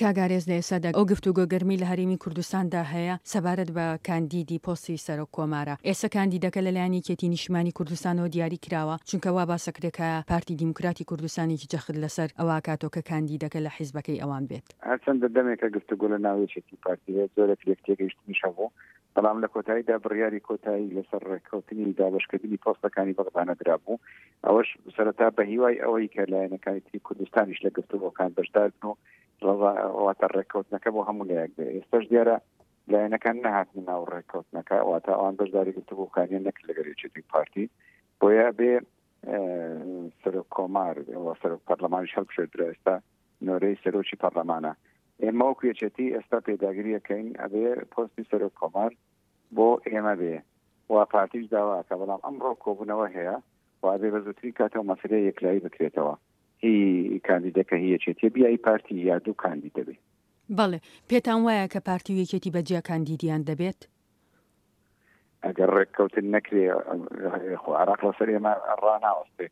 کاک ئارێز لە ئێستادا ئەو گفتوگۆ گەرمەی لە هەرێمی کوردستاندا هەیە سەبارەت بە کاندیدی پۆستی سەرۆک کۆمارە، ئێستا کاندیدەکە لەلایەن یەکێتی نیشتمانی کوردستانەوە دیاری کراوە، چونکە وا باسەکرێ کە پارتی دیموکراتی کوردستانیش جەخت لەسەر ئەوە ئەکاتەوە کە کاندیدەکە لە حیزبەکەی ئەوان بێت. هەرچەندە دەمێکە گفتوگۆ لە ناو یەکێتی و پارتی هەیە، جۆرێک لێکتێگەیشتنیش هەبوو، بەڵام لە کۆتاییدا بڕیاری کۆتایی لەسەر ڕێککەوتنی دابەشکردنی پۆستەکانی بەغدا نەدرابوو، ئەوەش سەرەتا بە هیوای ئەوەی کە لایەنەکانی تری کوردستانیش لە گفتوگۆکان بەشدار بن و واتە ڕێککەوتنەکە بۆ هەموو لایەک بێ. ئێستاش دیارە لایەنەکان نەهاتنە ناو ڕێککەوتنەکە، واتە ئەوان بەشداری گفتوگۆکانیان نەکرد لەگەڵ یەکێتی و پارتی، بۆیە بێ سەرۆک کۆمار و سەرۆک پەرلەمانیش هەڵبژێردرا، ئێستا نۆرەی سەرۆکی پەرلەمانە. ئێمە وەکو یەکێتی ئێستا پێداگری ئەکەین ئەبێ پۆستی سەرۆک کۆمار بۆ ئێمە بێ و پارتیش داوا ئەکا، بەڵام ئەمڕۆ کۆبوونەوە هەیە و ئەبێ بە زووترین کاتەوە مەسەلەیە یەکلایی بکرێتەوە هی کاندیدەکە هی یەکێتیە بیا هی پارتی یا دوو کاندید دەبێ. بەڵێ، پێتان وایە کە پارتی و یەکێتی بە جیا کاندیدیان دەبێت؟ ئەگەر ڕێککەوتن نەکرێ خۆ عراق لەسەر ئێمە ڕاناوەستێ،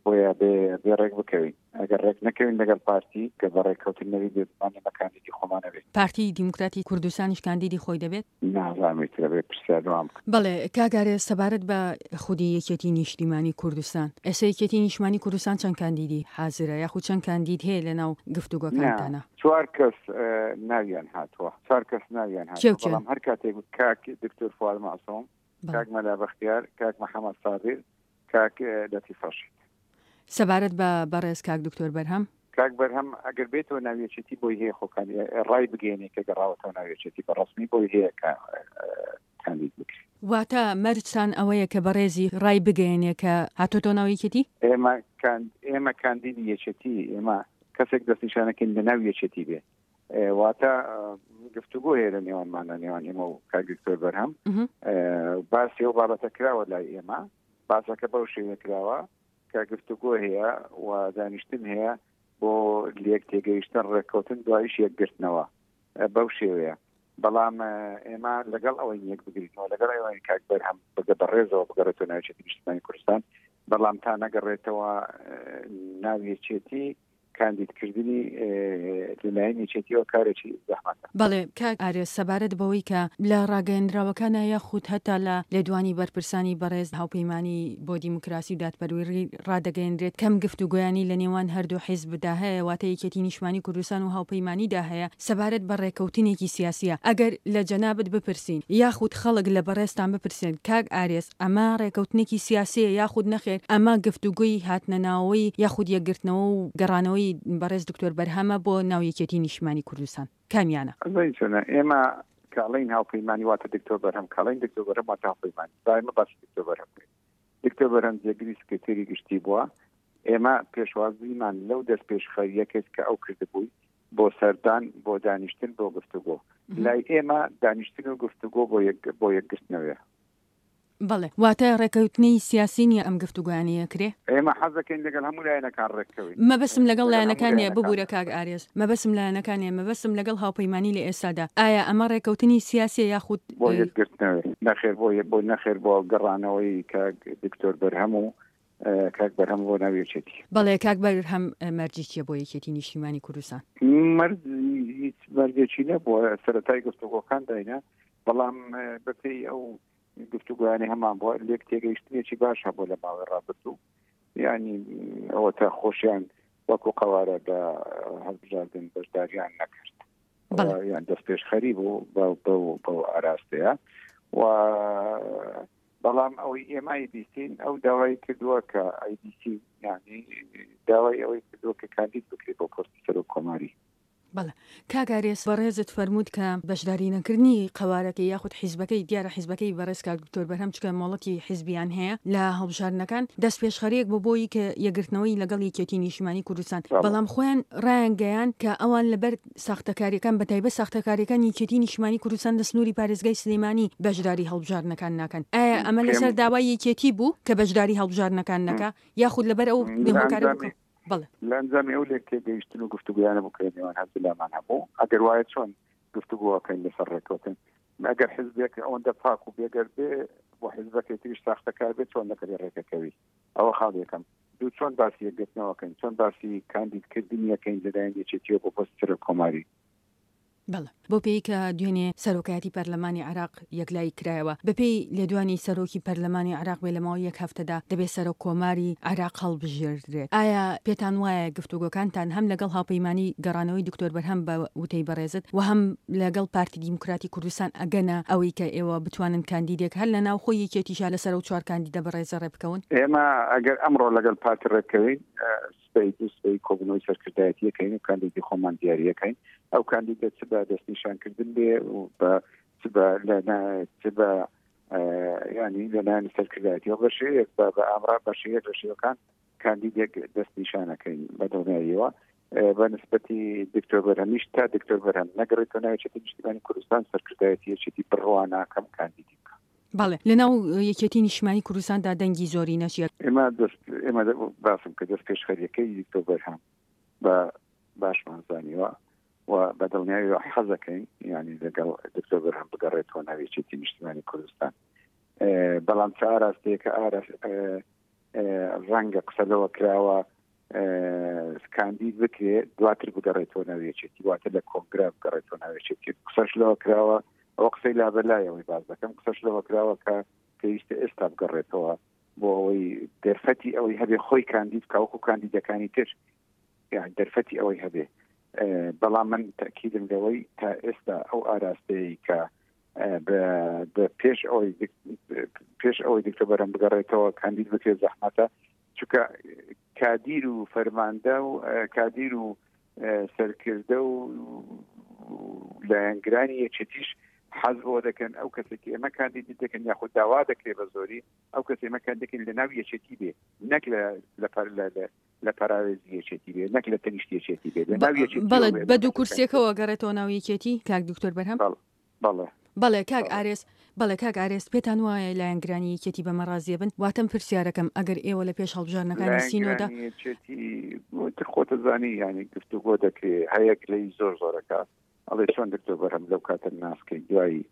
بۆیە بێ بێ ڕێک بکەوین. ئەگەر ڕێک نەکەوین لەگەڵ پارتی کە بە ڕێککەوتن نەبی بێگومان ئێمە کاندیدی خۆمان ئەبێ. پارتی دیموکراتی کوردستانیش کاندیدی خۆی دەبێت؟ نازانم ئیتر ئەبێ پرسیار لەوان بکەم. بەڵێ کاک ئارێز سەبارەت بە خودی یەکێتی نیشتیمانی کوردستان، ئێستا یەکێتی نیشتمانی کوردستان چەند کاندیدی حازرە یاخود چەند کاندید هەیە لەناو نا گفتوگۆکانتانا؟ چوار کەس ناویان هاتووە، چوار کەس ناویان کێ و هاتووە، کێن؟ بەڵام هەر کاتێک کاک دکتۆر فواد مەعسوم، بەڵێ. کاک مەلا بەختیار، کاک محەمەد سابیر، کاک لەتیف ڕەشید. سەبارەت بە بەڕێز کاک دکتۆر بەرهەم؟ کاک بەرهەم ئەگەر بێتەوە ناو یەکێتی بۆی هەیە خۆکانی ڕای بگەیەنێ کە گەڕاوەتەوە ناو یەکێتی بە ڕەسمی بۆی هەیە کە کاندید بکرێ. واتە مەرجتان ئەوەیە کە بەڕێزی ڕای بگەیەنێ کە هاتۆتەوە ناو یەکێتی؟ ئێمە ئێمە کاندیدی یەکێتی ئێمە کەسێک دەستنیشانەکەین لە ناو یەکێتی بێ واتە گفتوگۆ هەیە لە نێوانمان لە نێوان ئێمە و کاک دکتۆر بەرهەم باسی ئەو بابەتە کراوە لای ئێمە باسەکە بەو شێوە کراوە کە گفتوگۆ هەیە و دانیشتن هەیە بۆ لێک تێگەیشتن ڕێککەوتن دوایش یەکگرتنەوە بەو شێوەیە بەڵام ئێمە لەگەڵ ئەوەی یەک بگرینەوە لەگەڵ ئەوەی کاک بەرهەم بگە بەڕێزەوە بگەڕێتەوە ناوچێتی نیشتمانی کوردستان بەڵام تا نەگەڕێتەوە ناو یەکێتی کاندیدکردنی لەلایەن یەکێتیەوە کارێکی زەحمەتە. بەڵێ کاک ئارێز سەبارەت بەوەی کە لە ڕاگەیەندراوەکانا یاخود هەتا لە لێدوانی بەرپرسانی بەڕێز هاوپەیمانی بۆ دیموکراسی و دادپەروەری ڕادەگەیەنرێت کەم گفتوگۆیانی لە نێوان هەردوو حیزبدا هەیە واتە یەکێتی نیشتمانی کوردستان و هاوپەیمانیدا هەیە سەبارەت بە ڕێکەوتنێکی سیاسیە ئەگەر لە جەنابت بپرسین یاخود خەڵک لە بەڕێزتان بپرسێن کاک ئارێز ئەمە ڕێکەوتنێکی سیاسیە یاخود نەخێر ئەمە گفتوگۆی هاتنەناوەوەی یاخود یەکگرتنەوە و گەڕانەوەی بەڕێز دکتۆر بەرهەمە بۆ ناو یەکێتی نیشتمانی کوردستان کامیانە؟ ئەزانی چۆنە ئێمە کە ئەڵێین هاوپەیمانی واتە دکتۆر بەرهەم کە ئەڵێین دکتۆر بەرهەم واتە هاوپەیمانی با ئێمە باسی دکتۆر بەرهەم بکەین دکتۆر بەرهەم جێگری سکرتێری گشتی بووە ئێمە پێشوازیمان لەو دەستپێشخەرییە کرد کە ئەو کردبووی بۆ سەردان بۆ دانیشتن بۆ گفتوگۆ لای ئێمە دانیشتن و گفتوگۆ بۆ یەک بۆ یەکگرتنەوەیە. بەڵێ. واتە ڕێکەوتنی سیاسی نییە ئەم گفتوگۆیانەی ئەکرێ؟ ئێمە حەز دەکەین لەگەڵ هەموو لایەنەکان ڕێککەوین. مەبەستم لەگەڵ لەگەڵ هەموو لایەنەکان نییە، لایەنەکان ببورە کاک ئارێز، مەبەستم لایەنەکان نییە، مەبەستم لەگەڵ هاوپەیمانی لە ئێستادا. ئایا ئەمە ڕێکەوتنی سیاسیە یاخود. بۆ یەکگرتنەوەی؟ نەخێر بۆ بۆ نەخێر بۆ گەڕانەوەی کاک دکتۆر بەرهەم و کاک بەرهەم بۆ ناو یەکێتی. بەڵێ کاک بەرهەم مەرجی چیە بۆ یەکێتی نیشتیمانی کوردستان؟ مەرج هیچ مەرجێکی نەبووە سەرەتای گفتوگۆکان داینا بەڵام بەپێی ئەو گفتوگۆیانەی هەمان بووە لێک تێگەیشتنێکی باش هەبوو لە ماوەی ڕابردوو یعنی ئەوە تا خۆشیان وەکو قەوارە لە هەڵبژاردن بەشداریان نەکرد یان دەست پێشخەری بوو بەو ئاراستەیە و بەڵام ئەوەی ئێمە ئەیبیستین ئەو داوای کردووە کە ئەیبیسین یعنی داوای ئەوەی کردووە کە کاندید بکرێت بۆ پۆستی سەرۆک کۆماری. بەڵێ کاک ئارێز بەڕێزت فەرمووت کە بەشداری نەکردنی قەوارەکەی یاخود حیزبەکەی دیارە حیزبەکەی بەڕێز کاک دکتۆر بەرهەم چونکە مۆڵەتی حیزبیان هەیە لە هەڵبژاردنەکان دەستپێشخەریەک بۆ بۆی کە یەکگرتنەوەی لەگەڵ یەکێتی نیشتیمانی کوردستان بەڵام خۆیان ڕایانگەیاند کە ئەوان لەبەر ساختەکاریەکان بەتایبەت ساختەکاریەکان یەکێتی نیشتمانی کوردستان لە سنوری پارێزگای سلێمانی بەشداری هەڵبژاردنەکان ناکەن ئایا ئەمە لەسەر داوای یەکێتی بوو کە بەشداری هەڵبژاردنەکان نەکا یاخود لەبەر ئەو هۆکارە بوو کە بەڵێ. لە ئەنجامی ئەو لێکتێگەیشتن و گفتوگۆیانە بوو کە لە نێوان هەردوولامان هەبوو، ئەگەر وایە چۆن گفتوگۆ ئەکەین لەسەر ڕێککەوتن؟ ئەگەر حزبێک ئەوەندە پاک و بێگەرد بێ و حزبەکەی تریش ساختەکار بێ چۆن لەگەڵی ڕێکەکەوی؟ ئەوە خاڵی یەکەم. دوو چۆن باسی یەکگرتنەوەکەین چۆن باسی کاندیدکردنی یەکەین لەلایەن یەکێتیەوە بۆ پۆستی سەرۆک کۆماری. بەڵێ. بەو پێیەی کە دوێنێ سەرۆکایەتی پەرلەمانی عێراق یەکلایی کرایەوە، بەپێی لێدوانی سەرۆکی پەرلەمانی عێراق بێ لە ماوەی یەک هەفتەدا دەبێ سەرۆک کۆماری عێراق هەڵبژێردرێت. ئایا پێتان وایە گفتوگۆکانتان هەم لەگەڵ هاوپەیمانی گەڕانەوەی دکتۆر بەرهەم بە وتەی بەڕێزت و هەم لەگەڵ پارتی دیموکراتی کوردستان ئەگەنە ئەوەی کە ئێوە بتوانن کاندیدێک هەر لە ناوخۆی یەکێتیشا لەسەر ئەو چوار کاندیدە بەڕێزە ڕێبکەون؟ ئێمە ئەگەر ئەمڕۆ لەگەڵ پارتی ڕێبکەوین سبەی دوو سبەی کۆبوونەوەی سەرکردایەتی ئەکەین و کاندیدی خۆمان دیاری ئەکەین. ئەو کاندیدە چ بە دەستنیشانکردن بێ و بە چ بە لە چ بە ینی لەلایەن سەرکردایەتیەوە بە شێوەیەک بە بە ئامرا بە شێوەیەک لە شێوەکان کاندیدێک دەستنیشانەکەین بە دڵنیاییەوە بە نسبەتی دکتۆر بەرهەمیش تا دکتۆر بەرهەم نەگەڕێتەوە ناو یەکێتی نیشتیمانی کوردستان سەرکردایەتی یەکێتی بڕوا ناکەم کاندیدی بکە. بەڵێ لەناو یەکێتی نیشتمانی کوردستاندا دەنگی زۆرینە چیە؟ ئێمە دەست ئێمە باسم کە دەست پێشخەریەکەی دکتۆر بەرهەم بە باشمان زانیوە و بە دڵنیاییەوە حەزەکەین یعنی لەگەڵ دکتۆر بەرهەم بگەڕێتەوە ناو یەکێتی نیشتمانی کوردستان بەڵام چ ئاراستەیەکە ئاراست ڕەنگە قسە لەوە کراوە کاندید بکرێ دواتر بگەڕێتەوە ناو یەکێتی واتە لە کۆنگرا بگەڕێتەوە ناو یەکێتی قسەش لەوە کراوە ئەوە قسەی لابەلایەوەی باز دەکەم قسەش لەوە کراوە کە پێویستە ئێستا بگەڕێتەوە بۆ ئەوەی دەرفەتی ئەوەی هەبێ خۆی کاندید بکا وەکو کاندیدەکانی تر یان دەرفەتی ئەوەی هەبێ بەڵام من تەکیدم لەوەی تا ئێستا ئەو ئاراستەیە کە بە پێش ئەوەی پێش ئەوەی دکتۆر بەرەم بگەڕێتەوە کاندید بکرێت زەحمەتە چونکە کادیر و فەرماندە و کادیر و سەرکردە و لایەنگرانی یەکێتیش حەز بۆ دەکەن ئەو کەسێکی ئێمە کاندیدی دەکەن یاخود داوا دەکرێت بە زۆری ئەو کەس ئێمە کاندێکن لە ناو یەکێتی بێ نەک لە لە پەراوێزی یەکێتی بێ نەک لە تەنیشت یەکێتی بێ لە ناو یەکێتی بەڵێ بە دوو کورسیەکەوە گەڕێتەوە ناو یەکێتی کاک دکتۆر بەرهەم بەڵێ. بەڵێ کاک ئارێز. بەڵێ کاک ئارێز پێتان وایە لایەنگرانی یەکێتی بەمە ڕازیە بن؟ واتەم پرسیارەکەم ئەگەر ئێوە لە پێش هەڵبژاردنەکانی سینۆدا. لایەنگرانی یەکێتی تر خۆتە زانی یانی گفتوگۆ دەکرێ هەیە گلەیی زۆر زۆرەکە ئەڵێ چۆن دکتۆر بەرهەم لەو کاتە ناسکەی دوای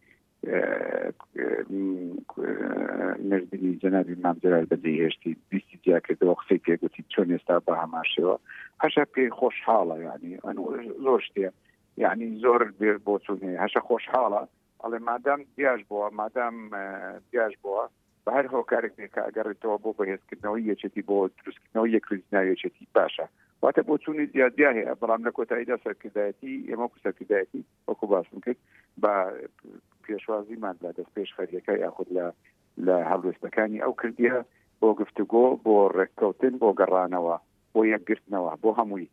مردنی جەنابی مام جەلال بەجێی هێشتی بیستی جیاکردەوە قسەی پێگوتی چۆن ئێستا بە هەمان شێوە هەشە پێی خۆشحاڵە یعنی زۆر شتێ یعنی زۆر بۆچون هەیە هەشە خۆشحاڵە ئەڵێ مادام دیاش بووە مادام دیاش بووە بە هەر هۆکارێک بێ کە ئەگەڕێتەوە بۆ بەهێزکردنەوەی یەکێتی بۆ دروستکردنەوەی یەکڕیزی ناو یەکێتی باشە واتە بۆچوونی جیاجیا هەیە بەڵام لە کۆتاییدا سەرکردایەتی ئێمە وەکو سەرکردایەتی وەکو باسم کرد بە پێشوازیمان لە دەست پێشخەریەکە یاخود لە لە هەڵوێستەکانی ئەو کردیە بۆ گفتوگۆ بۆ ڕێککەوتن بۆ گەڕانەوە بۆ یەکگرتنەوە بۆ هەمووی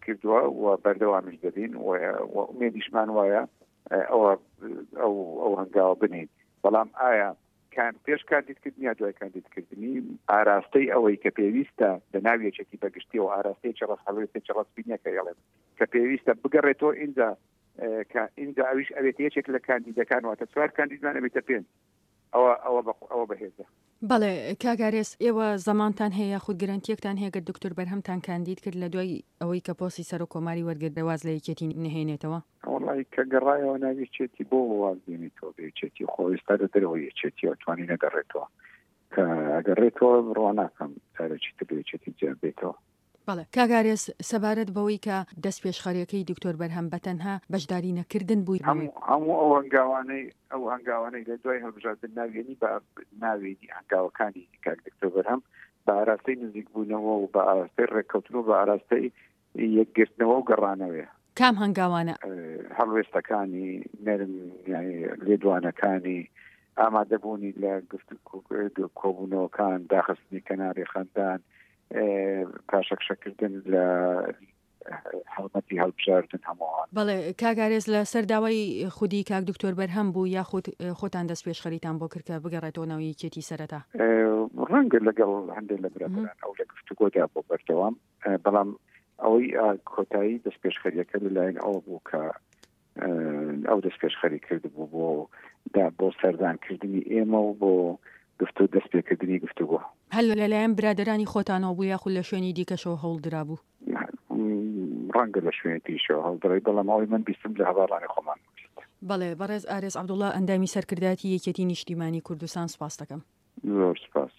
کردووە و بەردەوامیش دەبین و ئومێدیشمان وایە ئەوە ئەو ئەو هەنگاوە بنین بەڵام ئایا کان پێش کاندیدکردنی یا دوای کاندیدکردنی ئاراستەی ئەوەی کە پێویستە لە ناو یەکێتی بەگشتیەوە ئاراستەیەکی ڕاست هەڵوێستێکی ڕەسمی نییە کە ئەڵێم کە پێویستە بگەڕێتەوە ئینجا کە ئینجا ئەویش ئەوێت یەکێک لە کاندیدەکان واتە چوار کاندیدمان ئەبێتە پێنج ئەوە ئەوە ئەوە بەهێزە. بەڵێ کاک ئارێز ئێوە زەمانتان هەیە یاخود گرەنتیەکتان هەیە گەر دکتۆر بەرهەمتان کاندید کرد لە دوای ئەوەی کە پۆستی سەرۆک کۆماری وەرگرت واز لە یەکێتی نەهێنێتەوە؟ وەڵی کە گەڕایەوە ناو یەکێتی بۆ واز دێنێتەوە بە یەکێتی خۆ ئێستا لە دەرەوەی یەکێتیەوە توانی نەگەڕێتەوە کە ئەگەڕێتەوە بڕوا ناکەم جارێکی تر لە یەکێتی جیا بێتەوە. بەڵێ کاک ئارێز سەبارەت بەوەی کە دەستپێشخەریەکەی دکتۆر بەرهەم بەتەنها بەشداری نەکردن بووی. هەموو ئەو هەنگاوانەی ئەو هەنگاوانەی لە دوای هەڵبژاردن ناویێنی بە ناوێنی هەنگاوەکانی کاک دکتۆر بەرهەم بە ئاراستەی نزیکبوونەوە و بە ئاراستەی ڕێککەوتن و بە ئاراستەی یەکگرتنەوە و گەڕانەوەیە. کام هەنگاوانە؟ هەڵوێستەکانی نەرم یانی لێدوانەکانی ئامادەبوونی لە گفت کۆبوونەوەکان داخستنی کەناری خەندان پاشەکشەکردن لە هەڵمەتی هەڵبژاردن هەمووان. بەڵێ کاک ئارێز لە سەر داوای خودی کاک دکتۆر بەرهەم بوو یاخود خۆتان دەست پێشخەریتان بۆ کرد کە بگەڕێتەوە ناو یەکێتی سەرەتا؟ ڕەنگە لەگەڵ هەندێک لە برادەران ئەو لە گفتوگۆدا بۆ بەردەوام بەڵام ئەوەی کۆتایی دەست پێشخەریەکە لەلایەن ئەوە بوو کە ئەو دەست پێشخەری کردبوو بۆ دا بۆ سەردانکردنی ئێمە و بۆ گفتو دەست پێکردنی گفتوگۆ. هەر لەلایەن برادەرانی خۆتانەوە بوو یاخود لە شوێنی دیکەشەوە هەوڵ درابوو؟ ڕەنگە لە شوێنی تریشەوە هەوڵ درای بەڵام ئەوەی من بیستم لە هەڤاڵانی خۆمان بیست. بەڵێ بەڕێز ئارێز عەبدوڵا ئەندامی سەرکردایەتی یەکێتی نیشتیمانی کوردستان سوپاستەکەم. زۆر سوپاس.